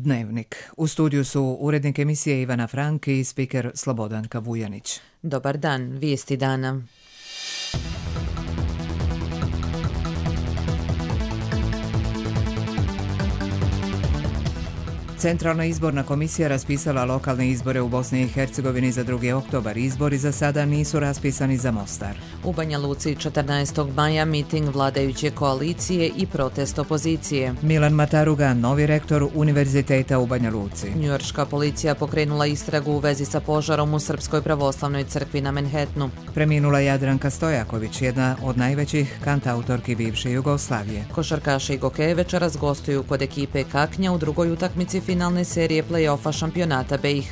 Dnevnik. U studiju su urednik emisije Ivana Frank i spiker Slobodanka Vujanić. Dobar dan, vijesti dana. Centralna izborna komisija raspisala lokalne izbore u Bosni i Hercegovini za 2. oktobar. Izbori za sada nisu raspisani za Mostar. U Banja Luci 14. maja miting vladajuće koalicije i protest opozicije. Milan Mataruga, novi rektor Univerziteta u Banja Luci. Njujorška policija pokrenula istragu u vezi sa požarom u Srpskoj pravoslavnoj crkvi na Manhattanu. Preminula Jadranka Stojaković, jedna od najvećih kantautorki bivše Jugoslavije. Košarkaši Gokeje večeras gostuju kod ekipe Kaknja u drugoj utakmici finalne serije play-offa šampionata BiH,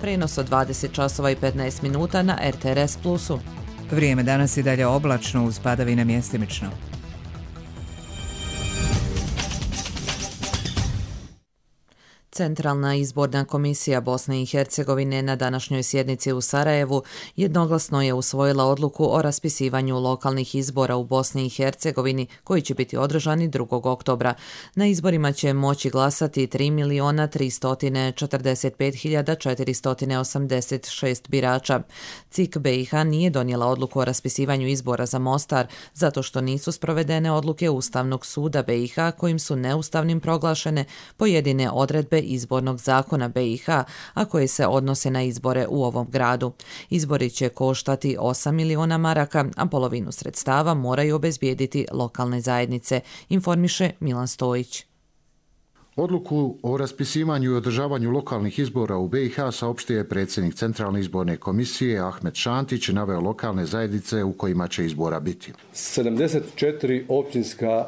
prenos od 20 časova i 15 minuta na RTRS Plusu. Vrijeme danas i dalje oblačno uz padavine mjestimično. Centralna izborna komisija Bosne i Hercegovine na današnjoj sjednici u Sarajevu jednoglasno je usvojila odluku o raspisivanju lokalnih izbora u Bosni i Hercegovini koji će biti održani 2. oktobra. Na izborima će moći glasati 3.345.486 birača. CIK BiH nije donijela odluku o raspisivanju izbora za Mostar zato što nisu sprovedene odluke Ustavnog suda BiH kojim su neustavnim proglašene pojedine odredbe izbornog zakona BiH, a koje se odnose na izbore u ovom gradu. Izbori će koštati 8 miliona maraka, a polovinu sredstava moraju obezbijediti lokalne zajednice, informiše Milan Stojić. Odluku o raspisivanju i održavanju lokalnih izbora u BiH saopštio je predsjednik Centralne izborne komisije Ahmet Šantić i naveo lokalne zajednice u kojima će izbora biti. 74 općinska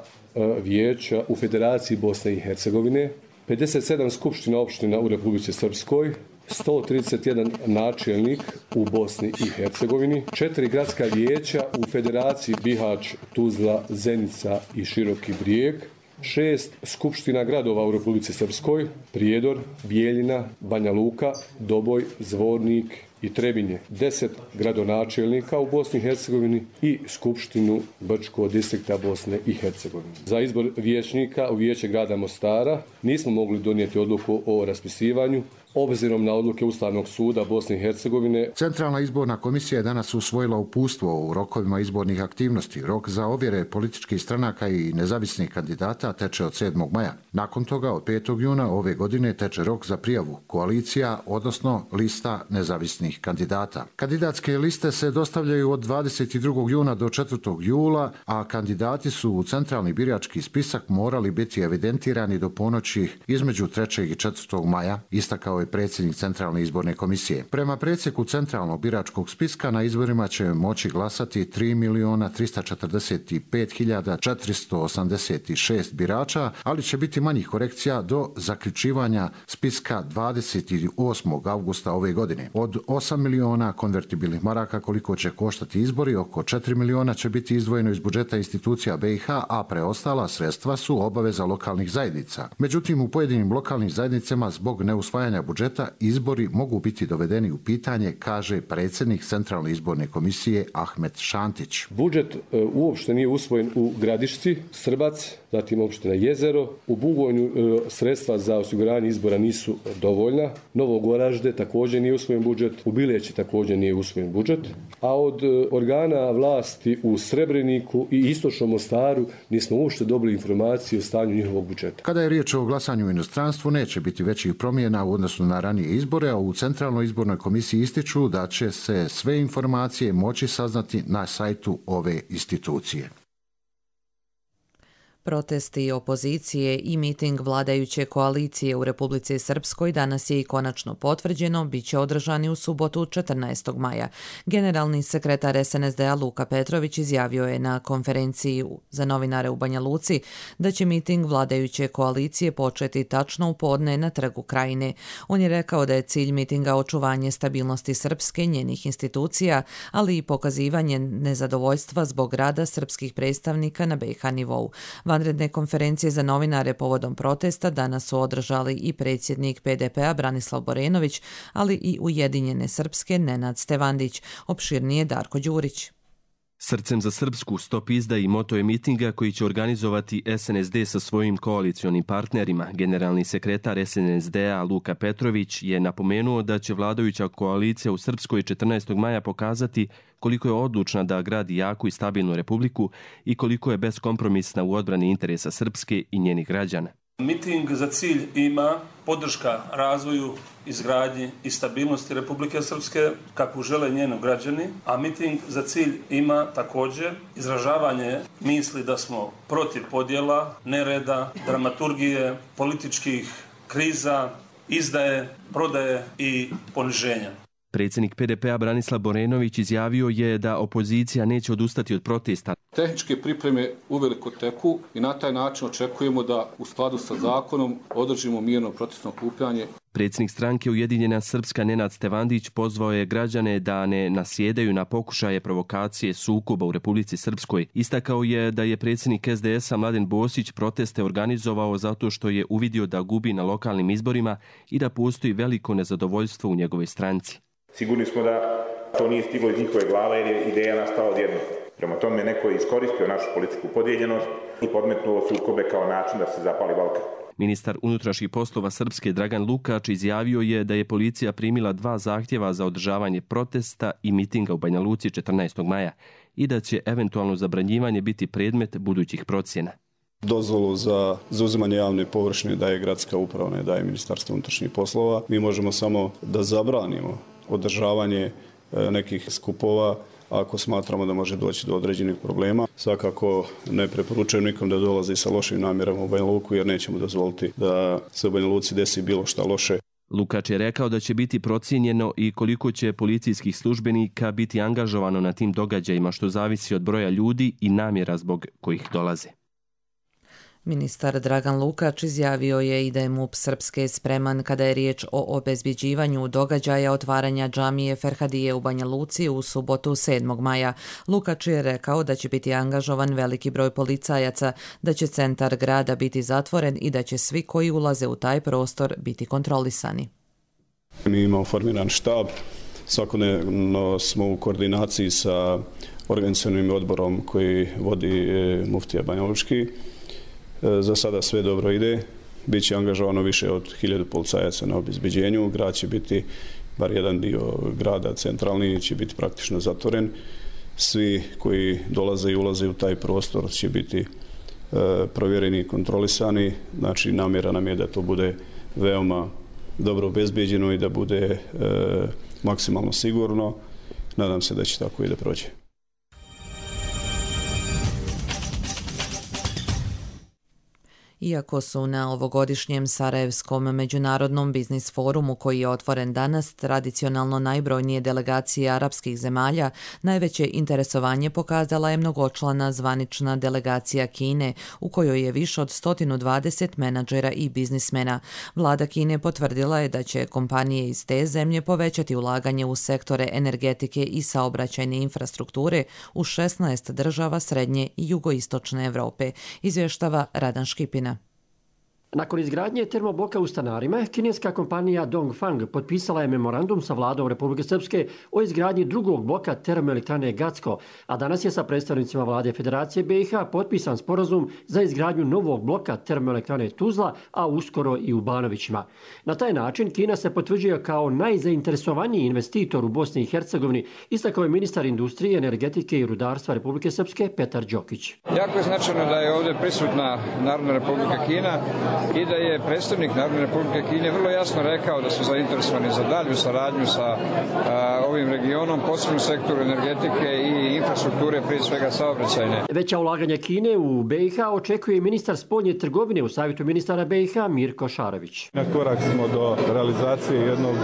vijeća u Federaciji Bosne i Hercegovine, 57 skupština opština u Republici Srpskoj, 131 načelnik u Bosni i Hercegovini, 4 gradska vijeća u Federaciji Bihać, Tuzla, Zenica i Široki Brijeg, 6 skupština gradova u Republici Srpskoj, Prijedor, Bijeljina, Banja Luka, Doboj, Zvornik i Trebinje, 10 gradonačelnika u Bosni i Hercegovini i Skupštinu Brčkog distrikta Bosne i Hercegovine. Za izbor vijećnika u Vijeće grada Mostara nismo mogli donijeti odluku o raspisivanju obzirom na odluke Ustavnog suda Bosne i Hercegovine. Centralna izborna komisija je danas usvojila uputstvo u rokovima izbornih aktivnosti. Rok za ovjere političkih stranaka i nezavisnih kandidata teče od 7. maja. Nakon toga od 5. juna ove godine teče rok za prijavu koalicija, odnosno lista nezavisnih kandidata. Kandidatske liste se dostavljaju od 22. juna do 4. jula, a kandidati su u centralni birački spisak morali biti evidentirani do ponoći između 3. i 4. maja, istakao je predsjednik Centralne izborne komisije. Prema predsjeku Centralnog biračkog spiska na izborima će moći glasati 3.345.486 birača, ali će biti manjih korekcija do zaključivanja spiska 28. augusta ove godine. Od 8 miliona konvertibilnih maraka koliko će koštati izbori, oko 4 miliona će biti izdvojeno iz budžeta institucija BiH, a preostala sredstva su obaveza lokalnih zajednica. Međutim, u pojedinim lokalnim zajednicama zbog neusvajanja budžeta izbori mogu biti dovedeni u pitanje, kaže predsjednik Centralne izborne komisije Ahmet Šantić. Budžet uopšte nije usvojen u Gradišci, Srbac, zatim opština Jezero. U Bugojnu sredstva za osiguranje izbora nisu dovoljna. Novog Oražde također nije usvojen budžet. U Bileći također nije usvojen budžet. A od organa vlasti u Srebreniku i Istočnom Mostaru nismo uopšte dobili informacije o stanju njihovog budžeta. Kada je riječ o glasanju u inostranstvu, neće biti većih promjena u odnosu na ranije izbore, a u Centralnoj izbornoj komisiji ističu da će se sve informacije moći saznati na sajtu ove institucije. Protesti opozicije i miting vladajuće koalicije u Republici Srpskoj danas je i konačno potvrđeno, bit će održani u subotu 14. maja. Generalni sekretar SNSD-a Luka Petrović izjavio je na konferenciji za novinare u Banja Luci da će miting vladajuće koalicije početi tačno u podne na Trgu Krajine. On je rekao da je cilj mitinga očuvanje stabilnosti Srpske, njenih institucija, ali i pokazivanje nezadovoljstva zbog rada srpskih predstavnika na BiH nivou. Vanredne konferencije za novinare povodom protesta danas su održali i predsjednik PDP-a Branislav Borenović, ali i Ujedinjene Srpske Nenad Stevandić. Opširnije Darko Đurić. Srcem za Srpsku, Stop izdaji moto je mitinga koji će organizovati SNSD sa svojim koalicionim partnerima. Generalni sekretar SNSD-a Luka Petrović je napomenuo da će vladajuća koalicija u Srpskoj 14. maja pokazati koliko je odlučna da gradi jaku i stabilnu republiku i koliko je beskompromisna u odbrani interesa Srpske i njenih građana. Miting za cilj ima podrška razvoju, izgradnji i stabilnosti Republike Srpske, kakvu žele njeni građani, a miting za cilj ima također izražavanje misli da smo protiv podjela, nereda, dramaturgije, političkih kriza, izdaje, prodaje i poniženja. Predsjednik PDP-a Branislav Borenović izjavio je da opozicija neće odustati od protesta. Tehničke pripreme uveliko teku i na taj način očekujemo da u skladu sa zakonom održimo mirno protestno okupljanje. Predsjednik stranke Ujedinjena Srpska Nenad Stevandić pozvao je građane da ne nasjedaju na pokušaje provokacije sukoba u Republici Srpskoj. Istakao je da je predsjednik SDS-a Mladen Bosić proteste organizovao zato što je uvidio da gubi na lokalnim izborima i da postoji veliko nezadovoljstvo u njegovoj stranci. Sigurni smo da to nije stiglo iz njihove glave jer je ideja nastala odjednom. Prema tome neko je iskoristio našu političku podijeljenost i podmetnuo sukobe kao način da se zapali Balkan. Ministar unutrašnjih poslova Srpske Dragan Lukač izjavio je da je policija primila 2 zahtjeva za održavanje protesta i mitinga u Banja Luci 14. maja i da će eventualno zabranjivanje biti predmet budućih procjena. Dozvolu za zauzimanje javne površine daje gradska uprava, ne daje Ministarstvo unutrašnjih poslova. Mi možemo samo da zabranimo održavanje nekih skupova ako smatramo da može doći do određenih problema. Svakako ne preporučujem nikom da dolazi sa lošim namjerama u Banja Luku jer nećemo dozvoliti da se u Banja Luci desi bilo šta loše. Lukač je rekao da će biti procijenjeno i koliko će policijskih službenika biti angažovano na tim događajima, što zavisi od broja ljudi i namjera zbog kojih dolaze. Ministar Dragan Lukač izjavio je i da je MUP Srpske spreman kada je riječ o obezbjeđivanju događaja otvaranja džamije Ferhadije u Banja Luci u subotu 7. maja. Lukač je rekao da će biti angažovan veliki broj policajaca, da će centar grada biti zatvoren i da će svi koji ulaze u taj prostor biti kontrolisani. Mi imamo formiran štab, svakodnevno smo u koordinaciji sa organizacionim odborom koji vodi muftija Banja Lučki. Za sada sve dobro ide, bit će angažovano više od 1000 policajaca na obezbeđenju, grad će biti, bar jedan dio grada centralni će biti praktično zatvoren. Svi koji dolaze i ulaze u taj prostor će biti provjereni i kontrolisani, znači namjera nam je da to bude veoma dobro obezbeđeno i da bude maksimalno sigurno. Nadam se da će tako i da prođe. Iako su na ovogodišnjem Sarajevskom međunarodnom biznis forumu koji je otvoren danas tradicionalno najbrojnije delegacije arapskih zemalja, najveće interesovanje pokazala je mnogočlana zvanična delegacija Kine, u kojoj je više od 120 menadžera i biznismena. Vlada Kine potvrdila je da će kompanije iz te zemlje povećati ulaganje u sektore energetike i saobraćajne infrastrukture u 16 država srednje i jugoistočne Evrope, izvještava Radan Škipina. Nakon izgradnje termobloka u Stanarima, kineska kompanija Dongfang potpisala je memorandum sa vladom Republike Srpske o izgradnji drugog bloka termoelektrane Gacko, a danas je sa predstavnicima vlade Federacije BiH potpisan sporazum za izgradnju novog bloka termoelektrane Tuzla, a uskoro i u Banovićima. Na taj način Kina se potvrđuje kao najzainteresovaniji investitor u Bosni i Hercegovini, istakao je ministar industrije, energetike i rudarstva Republike Srpske Petar Đokić. Jako je značajno da je ovdje prisutna Narodna Republika Kina i da je predstavnik Narodne Republike Kine vrlo jasno rekao da su zainteresovani za dalju saradnju sa ovim regionom, posebno u sektoru energetike i infrastrukture, prije svega saobraćajne. Veća ulaganja Kine u BiH očekuje ministar spoljne trgovine u Savjetu ministara BiH Mirko Šarović. Na korak smo do realizacije jednog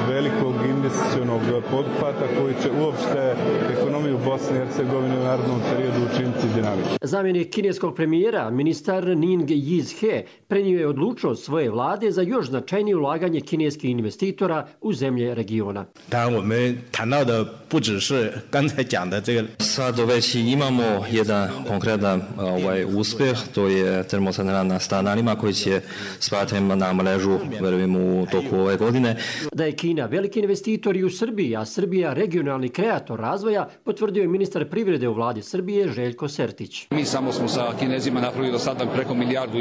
velikog investicionog poduhvata koji će uopšte ekonomiju Bosne i Hercegovine u narednom periodu učiniti dinamičnom. Zamjenik kineskog premijera, ministar Ning Yizhe, prenio ocenio je odlučnost svoje vlade za još značajnije ulaganje kineskih investitora u zemlje regiona. Sad već imamo jedan konkretan uspjeh, to je termocentrala na Stanarima koji će spati na mrežu, verujem, u toku ove godine. Da je Kina veliki investitor i u Srbiji, a Srbija regionalni kreator razvoja, potvrdio je ministar privrede u vladi Srbije Željko Sertić. Mi samo smo sa Kinezima napravili do sada preko 1,5 milijardu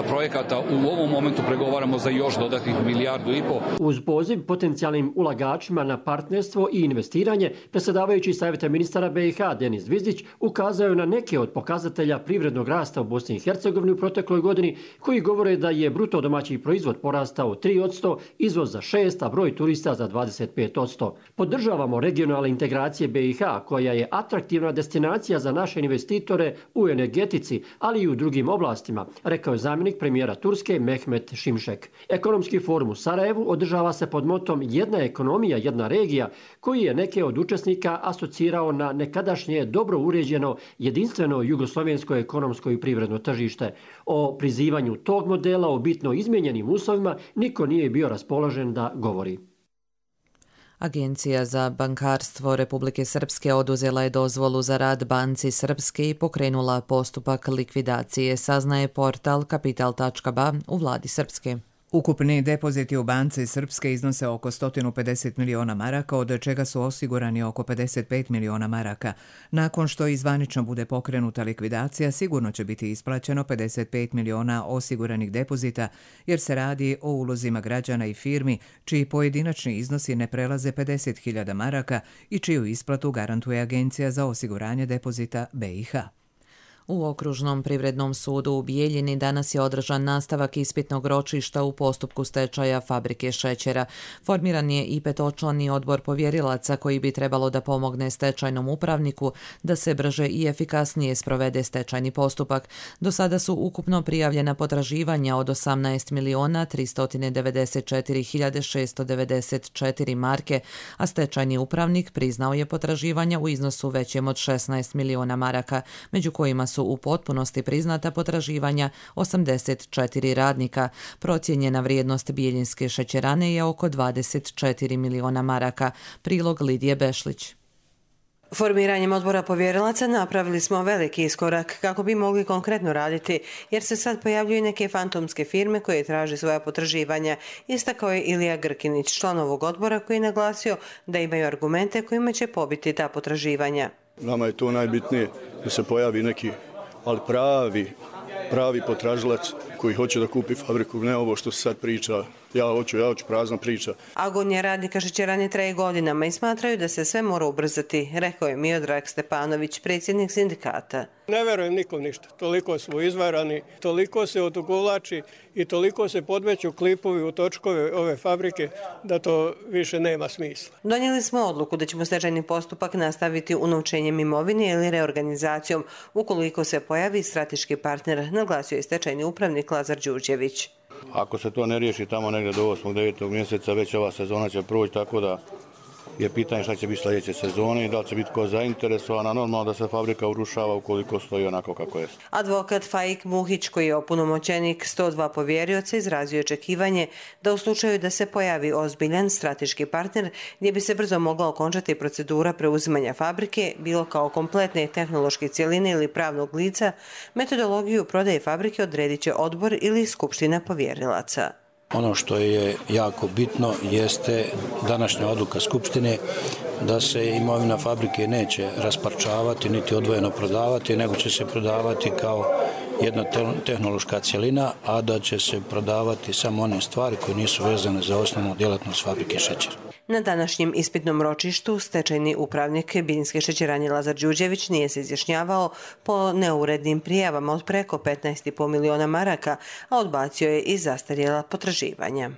projekata. U ovom momentu pregovaramo za još dodatnih 1,5 milijardu. Uz poziv potencijalnim ulagačima na partnerstvo i investiranje, predsjedavajući Savjeta ministara BiH Denis Zvizdić ukazao je na neke od pokazatelja privrednog rasta u Bosni i Hercegovini u protekloj godini, koji govore da je bruto domaći proizvod porastao 3%, izvoz za 6%, a broj turista za 25%. Podržavamo regionalne integracije BiH, koja je atraktivna destinacija za naše investitore u energetici, ali i u drugim oblastima, rekao je zamjenik premijera Turske Mehmet Şimşek. Ekonomski forum u Sarajevu održava se pod motom Jedna ekonomija, jedna regija, koji je neke od učesnika asocirao na nekadašnje dobro uređeno jedinstveno jugoslovensko ekonomsko i privredno tržište. O prizivanju tog modela u bitno izmijenjenim uslovima niko nije bio raspoložen da govori. Agencija za bankarstvo Republike Srpske oduzela je dozvolu za rad Banci Srpske i pokrenula postupak likvidacije, saznaje portal kapital.ba u vladi Srpske. Ukupni depoziti u Banci Srpske iznose oko 150 miliona maraka, od čega su osigurani oko 55 miliona maraka. Nakon što izvanično bude pokrenuta likvidacija, sigurno će biti isplaćeno 55 miliona osiguranih depozita, jer se radi o ulozima građana i firmi, čiji pojedinačni iznosi ne prelaze 50.000 maraka i čiju isplatu garantuje Agencija za osiguranje depozita BiH. U Okružnom privrednom sudu u Bijeljini danas je održan nastavak ispitnog ročišta u postupku stečaja fabrike šećera. Formiran je i 5-člani odbor povjerilaca koji bi trebalo da pomogne stečajnom upravniku da se brže i efikasnije sprovede stečajni postupak. Do sada su ukupno prijavljena potraživanja od 18.394.694 marke, a stečajni upravnik priznao je potraživanja u iznosu većem od 16 miliona maraka, među kojima su u potpunosti priznata potraživanja 84 radnika. Procijenjena vrijednost bijeljinske šećerane je oko 24 miliona maraka. Prilog Lidije Bešlić. Formiranjem odbora povjerilaca napravili smo veliki iskorak kako bi mogli konkretno raditi, jer se sad pojavljuju neke fantomske firme koje traže svoja potraživanja, istakao je Ilija Grkinić, član ovog odbora, koji je naglasio da imaju argumente kojima će pobiti ta potraživanja. Nama je to najbitnije, da se pojavi neki, ali pravi potražilac koji hoće da kupi fabriku, ne ovo što se sad priča. Ja hoću prazna priča. Agonija radnika šećerane traje godinama i smatraju da se sve mora ubrzati, rekao je Miodrag Stepanović, predsjednik sindikata. Ne verujem nikom ništa. Toliko smo izvarani, toliko se odugovlači i toliko se podmeću klipovi u točkove ove fabrike da to više nema smisla. Donijeli smo odluku da ćemo stečajni postupak nastaviti unovčenjem imovine ili reorganizacijom ukoliko se pojavi strateški partner, naglasio je stečajni upravnik Lazar Đurđević. Ako se to ne riješi tamo negdje do 8. 9. mjeseca, već ova sezona će proći, tako da je pitanje šta će biti sljedeće sezone i da li će biti ko zainteresovan, normalno da se fabrika urušava ukoliko stoji onako kako je. Advokat Faik Muhić, koji je opunomoćenik 102 povjerioca, izrazio očekivanje da u slučaju da se pojavi ozbiljan strateški partner gdje bi se brzo mogla okončati procedura preuzimanja fabrike, bilo kao kompletne tehnološke cjeline ili pravnog lica, metodologiju prodaje fabrike odredit će odbor ili skupština povjerilaca. Ono što je jako bitno jeste današnja odluka Skupštine da se imovina fabrike neće rasparčavati niti odvojeno prodavati, nego će se prodavati kao jedna tehnološka cjelina, a da će se prodavati samo one stvari koje nisu vezane za osnovnu djelatnost fabrike šećera. Na današnjem ispitnom ročištu stečajni upravnik Bijeljinske šećerane Lazar Đurđević nije se izjašnjavao po neurednim prijavama od preko 15,5 miliona maraka, a odbacio je i zastarjela potraživanja.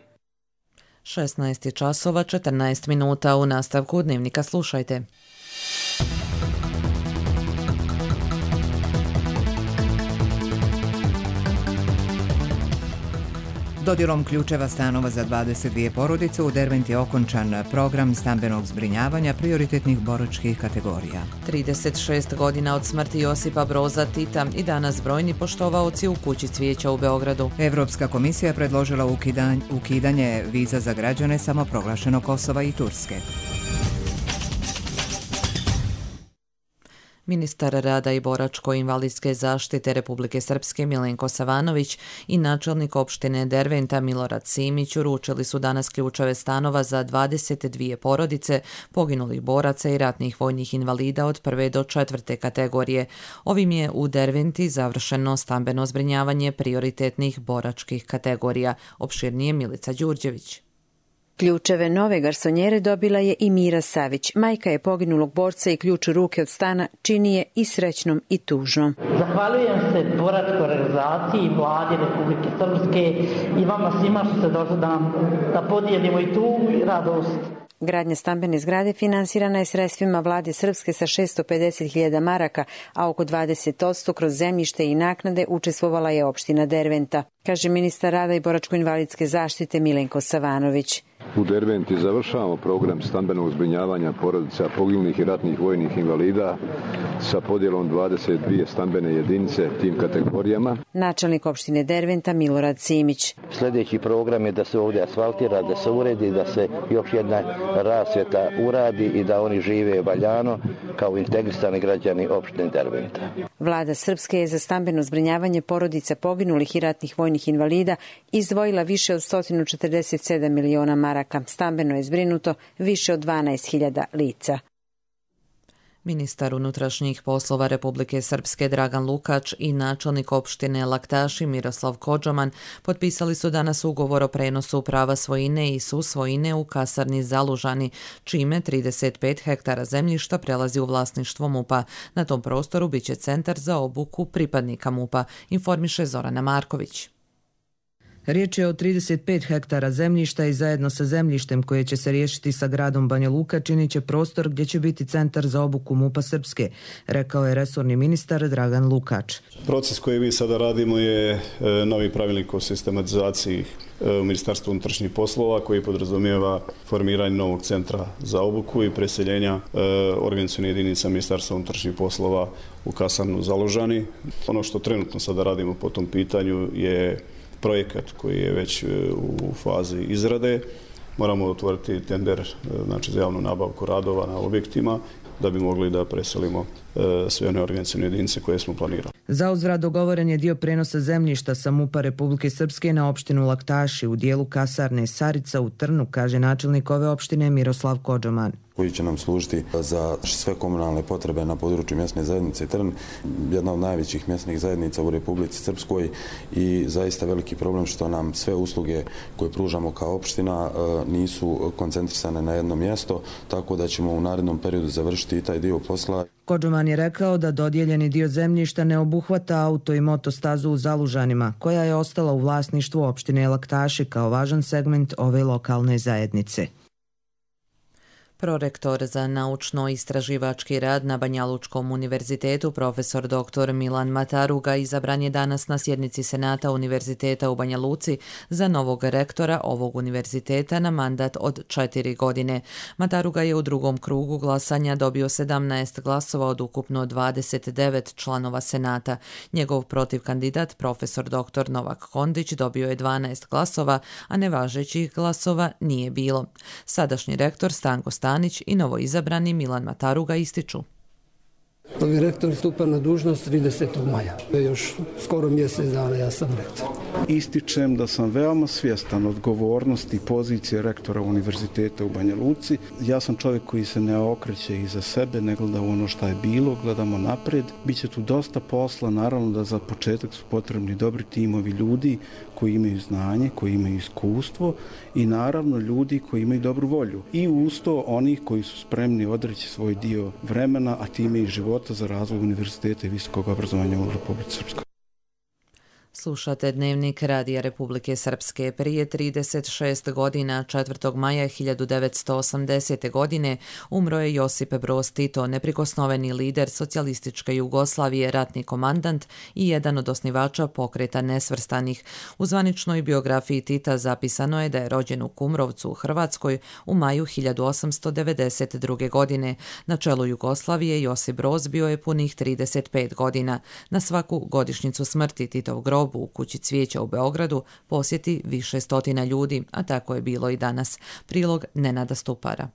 16 časova 14 minuta. U nastavku dnevnika slušajte. Dodjelom ključeva stanova za 22 porodice u Derventi je okončan program stambenog zbrinjavanja prioritetnih boračkih kategorija. 36 godina od smrti Josipa Broza Tita i danas brojni poštovaoci u Kući cvijeća u Beogradu. Evropska komisija predložila ukidanje viza za građane samoproglašenog Kosova i Turske. Ministar rada i boračko-invalidske zaštite Republike Srpske Milenko Savanović i načelnik opštine Derventa Milorad Simić uručili su danas ključeve stanova za 22 porodice poginulih boraca i ratnih vojnih invalida od 1. do 4. kategorije. Ovim je u Derventi završeno stambeno zbrinjavanje prioritetnih boračkih kategorija. Opširnije Milica Đurđević. Ključeve nove garsonjere dobila je i Mira Savić. Majka je poginulog borca i ključ u ruke od stana čini je i srećnom i tužnom. Zahvaljujem se boračkoj organizaciji, vladi Republike Srpske i vama svima što ste došli da podijelimo i tugu i radost. Gradnja stambene zgrade finansirana je sredstvima vlade Srpske sa 650.000 maraka, a oko 20% kroz zemljište i naknade učestvovala je opština Derventa, kaže ministar rada i boračko-invalidske zaštite Milenko Savanović. U Derventi završavamo program stambenog zbrinjavanja porodica poginulih i ratnih vojnih invalida sa podjelom 22 stambene jedinice tim kategorijama. Načelnik opštine Derventa Milorad Simić. Sljedeći program je da se ovdje asfaltira, da se uredi, da se još jedna rasvjeta uradi i da oni žive valjano kao integrisani građani opštine Derventa. Vlada Srpske je za stambeno zbrinjavanje porodica poginulih i ratnih vojnih invalida izdvojila više od 147 miliona maraka. Stambeno je zbrinuto više od 12.000 lica. Ministar unutrašnjih poslova Republike Srpske Dragan Lukač i načelnik opštine Laktaši Miroslav Kodžoman potpisali su danas ugovor o prenosu prava svojine i susvojine u kasarni Zalužani, čime 35 hektara zemljišta prelazi u vlasništvo MUP-a. Na tom prostoru biće centar za obuku pripadnika MUP-a, informiše Zorana Marković. Riječ je o 35 hektara zemljišta i zajedno sa zemljištem koje će se riješiti sa gradom Banja Luka činit će prostor gdje će biti centar za obuku MUP-a Srpske, rekao je resorni ministar Dragan Lukač. Proces koji mi sada radimo je novi pravilnik o sistematizaciji u Ministarstvu unutrašnjih poslova koji podrazumijeva formiranje novog centra za obuku i preseljenja organizacione jedinica Ministarstva unutrašnjih poslova u kasarnu Zalužani. Ono što trenutno sada radimo po tom pitanju je projekat koji je već u fazi izrade. Moramo otvoriti tender za javnu nabavku radova na objektima da bi mogli da preselimo sve one organizacione jedinice koje smo planirali. Za uzvrat dogovoren je dio prenosa zemljišta sa MUP-a Republike Srpske na opštinu Laktaši u dijelu kasarne Sarica u Trnu, kaže načelnik ove opštine Miroslav Kodžoman. Koji će nam služiti za sve komunalne potrebe na području mjesne zajednice Trn, jedna od najvećih mjesnih zajednica u Republici Srpskoj i zaista veliki problem što nam sve usluge koje pružamo kao opština nisu koncentrisane na jedno mjesto, tako da ćemo u narednom periodu završiti i taj dio posla. Kodžoman je rekao da dodijeljeni dio zemljišta ne obuhvata auto i motostazu u Zalužanima, koja je ostala u vlasništvu opštine Laktaši kao važan segment ove lokalne zajednice. Prorektor za naučno-istraživački rad na Banjalučkom univerzitetu, profesor dr. Milan Mataruga, izabran je danas na sjednici Senata Univerziteta u Banja Luci za novog rektora ovog univerziteta na mandat od 4 godine. Mataruga je u drugom krugu glasanja dobio 17 glasova od ukupno 29 članova Senata. Njegov protivkandidat, profesor dr. Novak Kondić, dobio je 12 glasova, a nevažećih glasova nije bilo. Sadašnji rektor Stanko Stanić i novoizabrani Milan Mataruga ističu. Novi rektor stupa na dužnost 30. maja. Još skoro mjesec dana ja sam rektor. Ističem da sam veoma svjestan odgovornosti pozicije rektora univerziteta u Banja Luci. Ja sam čovjek koji se ne okreće iza sebe, ne gleda u ono što je bilo, gledamo napred. Biće tu dosta posla, naravno da za početak su potrebni dobri timovi ljudi koji imaju znanje, koji imaju iskustvo i naravno ljudi koji imaju dobru volju. I uz to onih koji su spremni odreći svoj dio vremena, a time i života za razvoj univerziteta i visokog obrazovanja u Republici Srpskoj. Slušate Dnevnik Radija Republike Srpske. Prije 36 godina, 4. maja 1980. godine, umro je Josip Broz Tito, neprikosnoveni lider socijalističke Jugoslavije, ratni komandant i jedan od osnivača Pokreta nesvrstanih. U zvaničnoj biografiji Tita zapisano je da je rođen u Kumrovcu u Hrvatskoj u maju 1892. godine. Na čelu Jugoslavije Josip Broz bio je punih 35 godina. Na svaku godišnjicu smrti Titov grob u kući Cvijeća u Beogradu posjeti više stotina ljudi, a tako je bilo i danas. Prilog Nenada Stupara.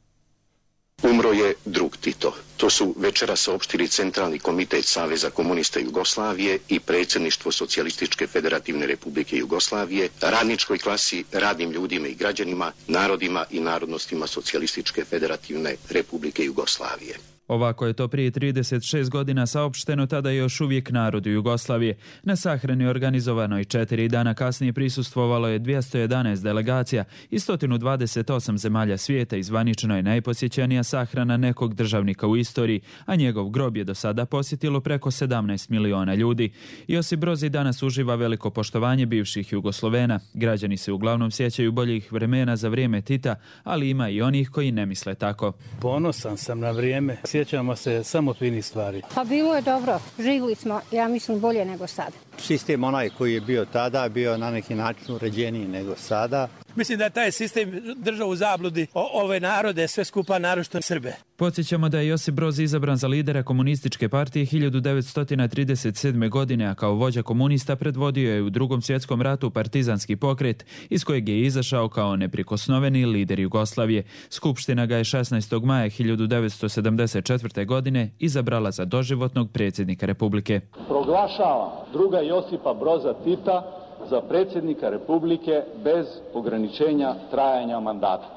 Umro je drug Tito. To su večeras saopštili Centralni komitet Saveza komunista Jugoslavije i predsjedništvo Socijalističke federativne republike Jugoslavije, radničkoj klasi, radnim ljudima i građanima, narodima i narodnostima Socijalističke federativne republike Jugoslavije. Ovako je to prije 36 godina saopšteno tada još uvijek narodu Jugoslavije. Na sahrani organizovanoj 4 dana kasnije prisustvovalo je 211 delegacija i 128 zemalja svijeta i zvanično je najposjećenija sahrana nekog državnika u istoriji, a njegov grob je do sada posjetilo preko 17 miliona ljudi. Josip Broz i danas uživa veliko poštovanje bivših Jugoslovena. Građani se uglavnom sjećaju boljih vremena za vrijeme Tita, ali ima i onih koji ne misle tako. Ponosan sam na vrijeme. Sjećamo se samo finih stvari. Pa bilo je dobro. Živjeli smo, ja mislim, bolje nego sada. Sistem onaj koji je bio tada bio na neki način uređeniji nego sada. Mislim da je taj sistem držao u zabludi ove narode, sve skupa naročito Srbe. Podsjećamo da je Josip Broz izabran za lidera komunističke partije 1937. godine, a kao vođa komunista predvodio je u Drugom svjetskom ratu partizanski pokret, iz kojeg je izašao kao neprikosnoveni lider Jugoslavije. Skupština ga je 16. maja 1974. godine izabrala za doživotnog predsjednika Republike. Proglašavam druga Josipa Broza Tita za predsjednika Republike bez ograničenja trajanja mandata.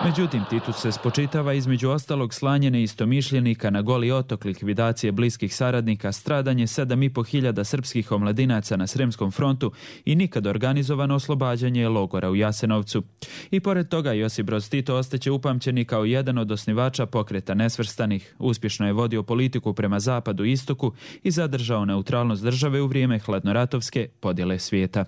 Međutim, Titu se spočitava između ostalog slanje neistomišljenika na Goli otok, likvidacije bliskih saradnika, stradanje 7.500 srpskih omladinaca na Sremskom frontu i nikad organizovano oslobađanje logora u Jasenovcu. I pored toga Josip Broz Tito ostaće upamćeni kao jedan od osnivača Pokreta nesvrstanih. Uspješno je vodio politiku prema zapadu i istoku i zadržao neutralnost države u vrijeme hladnoratovske podjele svijeta.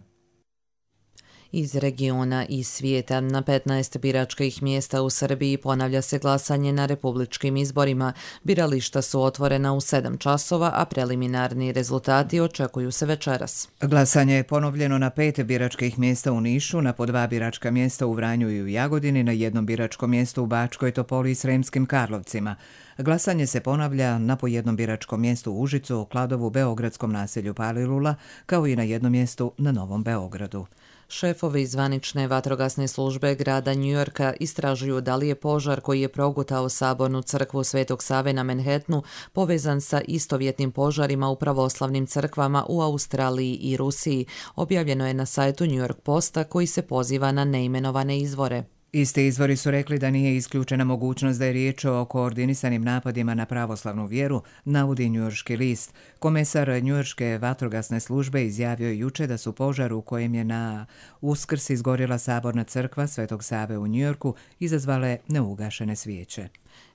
Iz regiona i svijeta na 15 biračkih mjesta u Srbiji ponavlja se glasanje na republičkim izborima. Birališta su otvorena u 7 časova, a preliminarni rezultati očekuju se večeras. Glasanje je ponovljeno na 5 biračkih mjesta u Nišu, na po 2 biračka mjesta u Vranju i u Jagodini, na 1 biračko mjesto u Bačkoj Topoli i Sremskim Karlovcima. Glasanje se ponavlja na po 1 biračkom mjestu u Užicu, Kladovu, beogradskom naselju Palilula, kao i na 1 mjestu na Novom Beogradu. Šefovi zvanične vatrogasne službe grada Njujorka istražuju da li je požar koji je progutao sabornu crkvu Svetog Save na Manhattanu povezan sa istovjetnim požarima u pravoslavnim crkvama u Australiji i Rusiji. Objavljeno je na sajtu New York Posta koji se poziva na neimenovane izvore. Isti izvori su rekli da nije isključena mogućnost da je riječ o koordinisanim napadima na pravoslavnu vjeru, navodi njujorški list. Komesar njujorške vatrogasne službe izjavio juče da su požar u kojem je na Uskrs izgorjela saborna crkva Svetog Save u Njujorku izazvale neugašene svijeće.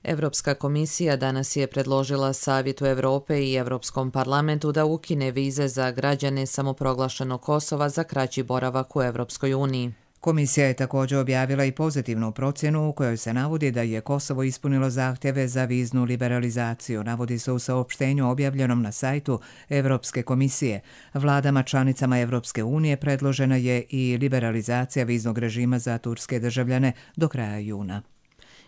Evropska komisija danas je predložila Savjetu Europe i Europskom parlamentu da ukine vize za građane samoproglašenog Kosova za kraći boravak u Europskoj uniji. Komisija je također objavila i pozitivnu procjenu u kojoj se navodi da je Kosovo ispunilo zahtjeve za viznu liberalizaciju, navodi se u saopštenju objavljenom na sajtu Evropske komisije. Vladama članicama Evropske unije predložena je i liberalizacija viznog režima za turske državljane do kraja juna.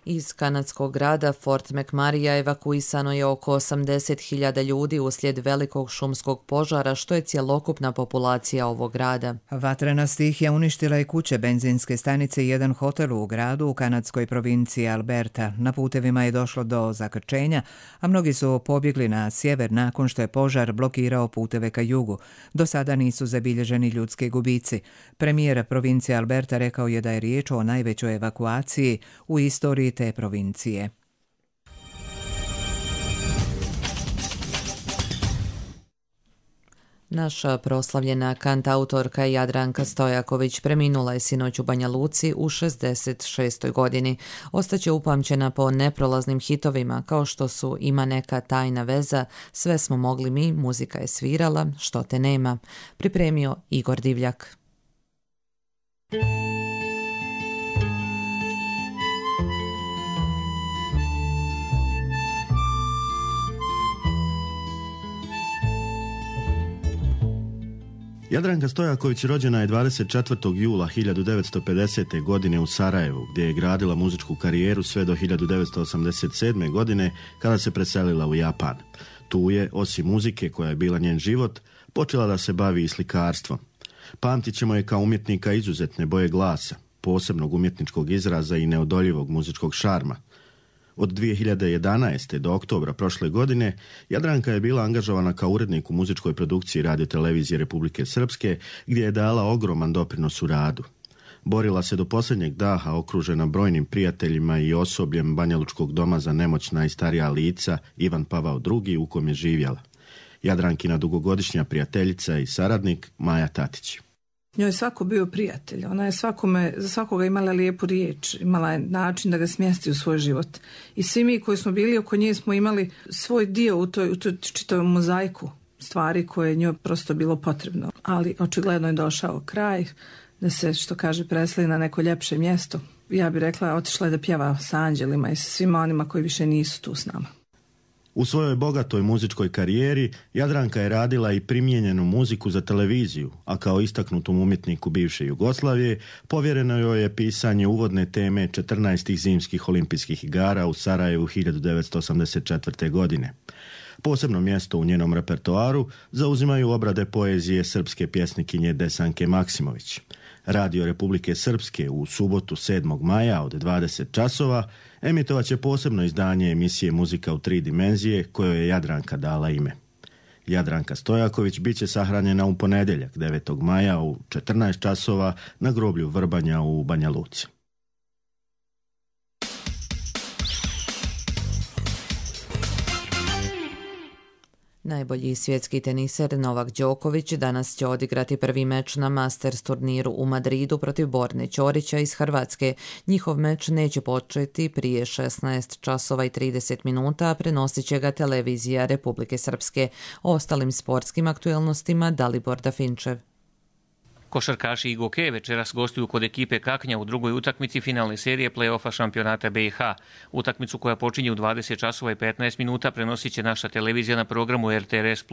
Iz kanadskog grada Fort McMurray evakuisano je oko 80.000 ljudi uslijed velikog šumskog požara, što je cjelokupna populacija ovog grada. Vatrena stihija uništila je kuće, benzinske stanice i jedan hotel u gradu u kanadskoj provinciji Alberta. Na putevima je došlo do zakrčenja, a mnogi su pobjegli na sjever nakon što je požar blokirao puteve ka jugu. Do sada nisu zabilježeni ljudski gubici. Premijer provincije Alberta rekao je da je riječ o najvećoj evakuaciji u istoriji te provincije. Naša proslavljena kantautorka Jadranka Stojaković preminula je sinoć u Banja Luci u 66. godini. Ostaće upamćena po neprolaznim hitovima kao što su Ima neka tajna veza, Sve smo mogli mi, Muzika je svirala, Što te nema. Pripremio Igor Divljak. Jadranka Stojaković rođena je 24. jula 1950. godine u Sarajevu, gdje je gradila muzičku karijeru sve do 1987. godine kada se preselila u Japan. Tu je, osim muzike koja je bila njen život, počela da se bavi i slikarstvom. Pamtit ćemo je kao umjetnika izuzetne boje glasa, posebnog umjetničkog izraza i neodoljivog muzičkog šarma. Od 2011. do oktobra prošle godine Jadranka je bila angažovana kao urednik u muzičkoj produkciji Radio-televizije Republike Srpske, gdje je dala ogroman doprinos u radu. Borila se do posljednjeg daha okružena brojnim prijateljima i osobljem Banjalučkog doma za nemoćna i starija lica Ivan Pavao II u kom je živjela. Jadrankina dugogodišnja prijateljica i saradnik Maja Tatić. Njoj je svako bio prijatelj, ona je za svakoga imala lijepu riječ, imala je način da ga smjesti u svoj život. I svi mi koji smo bili oko nje smo imali svoj dio u toj čitavoj mozaiku stvari koje je njoj prosto bilo potrebno. Ali očigledno je došao kraj da se, što kaže, preseli na neko ljepše mjesto. Ja bih rekla, otišla je da pjeva sa anđelima i sa svima onima koji više nisu tu s nama. U svojoj bogatoj muzičkoj karijeri Jadranka je radila i primijenjenu muziku za televiziju, a kao istaknutom umjetniku bivše Jugoslavije povjereno joj je pisanje uvodne teme 14. zimskih olimpijskih igara u Sarajevu 1984. godine. Posebno mjesto u njenom repertoaru zauzimaju obrade poezije srpske pjesnikinje Desanke Maksimović. Radio Republike Srpske u subotu 7. maja od 20 časova emitovat će posebno izdanje emisije Muzika u 3 dimenzije kojoj je Jadranka dala ime. Jadranka Stojaković bit će sahranjena u ponedjeljak 9. maja u 14 časova na groblju Vrbanja u Banja Luci. Najbolji svjetski teniser Novak Đoković danas će odigrati prvi meč na Masters turniru u Madridu protiv Borne Ćorića iz Hrvatske. Njihov meč neće početi prije 16 časova i 30 minuta, a prenosit će ga televizija Republike Srpske. O ostalim sportskim aktuelnostima Dalibor Dafinčev. Košarkaši IGOK večeras gostuju kod ekipe Kaknja u drugoj utakmici finalne serije play-offa šampionata BiH. Utakmicu koja počinje u 20 časova i 15 minuta prenosit će naša televizija na programu RTRS+.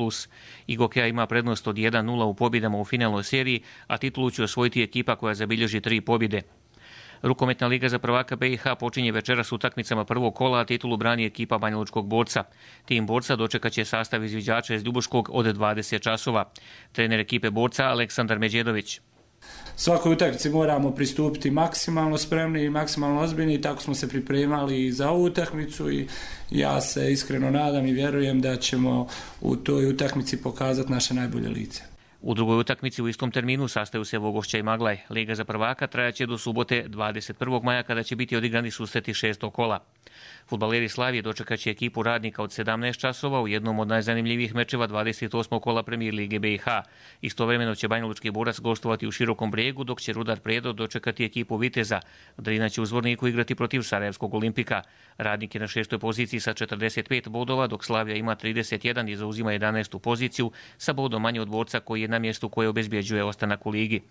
IGOK ima prednost od 1-0 u pobjedama u finalnoj seriji, a titulu će osvojiti ekipa koja zabilježi 3 pobjede. Rukometna liga za prvaka BiH počinje večeras utakmicama prvog kola, a titulu brani ekipa Banjalučkog Borca. Tim Borca dočekat će sastav izviđača iz Ljubuškog od 20 časova. Trener ekipe Borca Aleksandar Međedović. Svakoj utakmici moramo pristupiti maksimalno spremni i maksimalno ozbiljni i tako smo se pripremali i za ovu utakmicu i ja se iskreno nadam i vjerujem da ćemo u toj utakmici pokazati naše najbolje lice. U drugoj utakmici u istom terminu sastaju se Vogošća i Maglaj. Liga za prvaka trajaće do subote 21. maja kada će biti odigrani susreti 6. kola. Fudbaleri Slavije dočekat će ekipu Radnika od 17 časova u jednom od najzanimljivijih mečeva 28. kola Premijer Lige BiH. Istovremeno će Banjalučki Borac gostovati u Širokom Brijegu, dok će Rudar Predo dočekati ekipu Viteza. Drina će u Zvorniku igrati protiv Sarajevskog Olimpika. Radnik je na 6. poziciji sa 45 bodova, dok Slavija ima 31 i zauzima 11. poziciju sa bodom manje od Borca koji je na mjestu koje obezbjeđuje ostanak u ligi.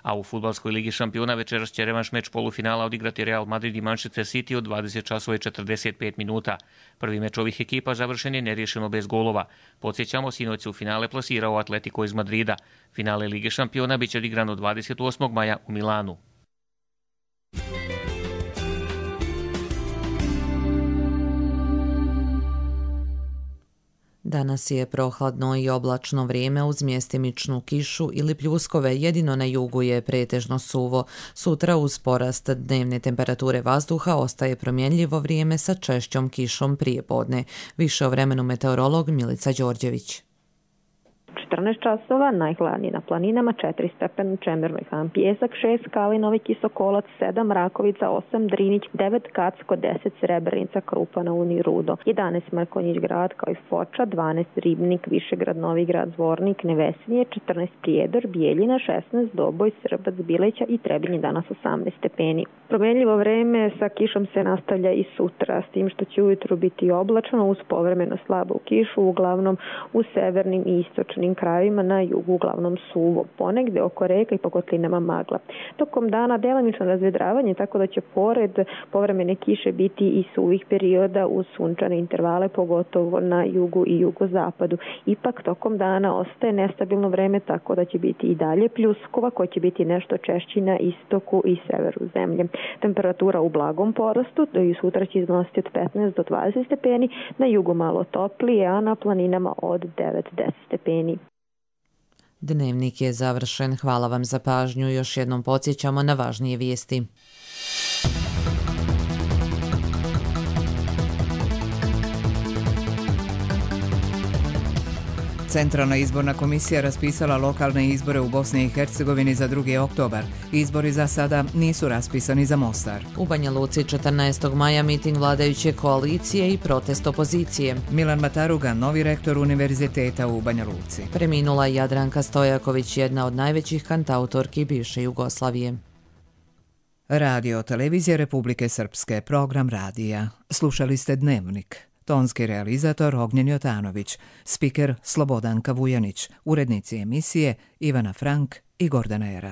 A u fudbalskoj ligi šampiona večeras će revanš meč polufinala odigrati Real Madrid i Manchester City od 20 časova i 45 minuta. Prvi meč ovih ekipa završen je neriješeno bez golova. Podsjećamo, sinoć se u finale plasirao Atletico iz Madrida. Finale Lige šampiona bit će odigrano 28. maja u Milanu. Danas je prohladno i oblačno vrijeme uz mjestimičnu kišu ili pljuskove, jedino na jugu je pretežno suvo. Sutra uz porast dnevne temperature vazduha ostaje promjenljivo vrijeme sa češćom kišom prije podne. Više o vremenu meteorolog Milica Đorđević. 14 časova, najhladnije na planinama, 4 stepena u Čemernoj Han Pijesak, 6 Kalinovi Kisokolac, 7 Rakovica, 8 Drinić, 9 Kacko, 10 Srebrenica, Krupa na Uni, Rudo, 11 Mrkonjić Grad kao i Foča, 12 Ribnik, Višegrad, Novi Grad, Zvornik, Nevesinje, 14 Prijedor, Bijeljina, 16 Doboj, Srbac, Bileća i Trebinje, danas 18 stepeni. Promenljivo vreme sa kišom se nastavlja i sutra, s tim što će ujutru biti oblačno uz povremeno slabu kišu, uglavnom u severnim i istočnim krajevima, na jugu uglavnom suvo, ponegde oko reka i po kotlinama magla. Tokom dana delimično razvedravanje, tako da će pored povremene kiše biti i suvih perioda uz sunčane intervale, pogotovo na jugu i jugozapadu. Ipak tokom dana ostaje nestabilno vreme, tako da će biti i dalje pljuskova koja će biti nešto češći na istoku i severu zemlje. Temperatura u blagom porastu, i sutra će iznositi od 15 do 20 stepeni, na jugu malo toplije, a na planinama od 9-10 stepeni. Dnevnik je završen. Hvala vam za pažnju. Još jednom podsjećamo na važnije vijesti. Centralna izborna komisija raspisala lokalne izbore u Bosni i Hercegovini za 2. oktobar. Izbori za sada nisu raspisani za Mostar. U Banja Luci 14. maja miting vladajuće koalicije i protest opozicije. Milan Mataruga, novi rektor univerziteta u Banja Luci. Preminula Jadranka Stojaković, jedna od najvećih kantautorki bivše Jugoslavije. Radio Televizija Republike Srpske, program radija. Slušali ste Dnevnik. Tonski realizator Ognjen Jotanović, spiker Slobodanka Vujanić, urednici emisije Ivana Frank i Gordana Erak.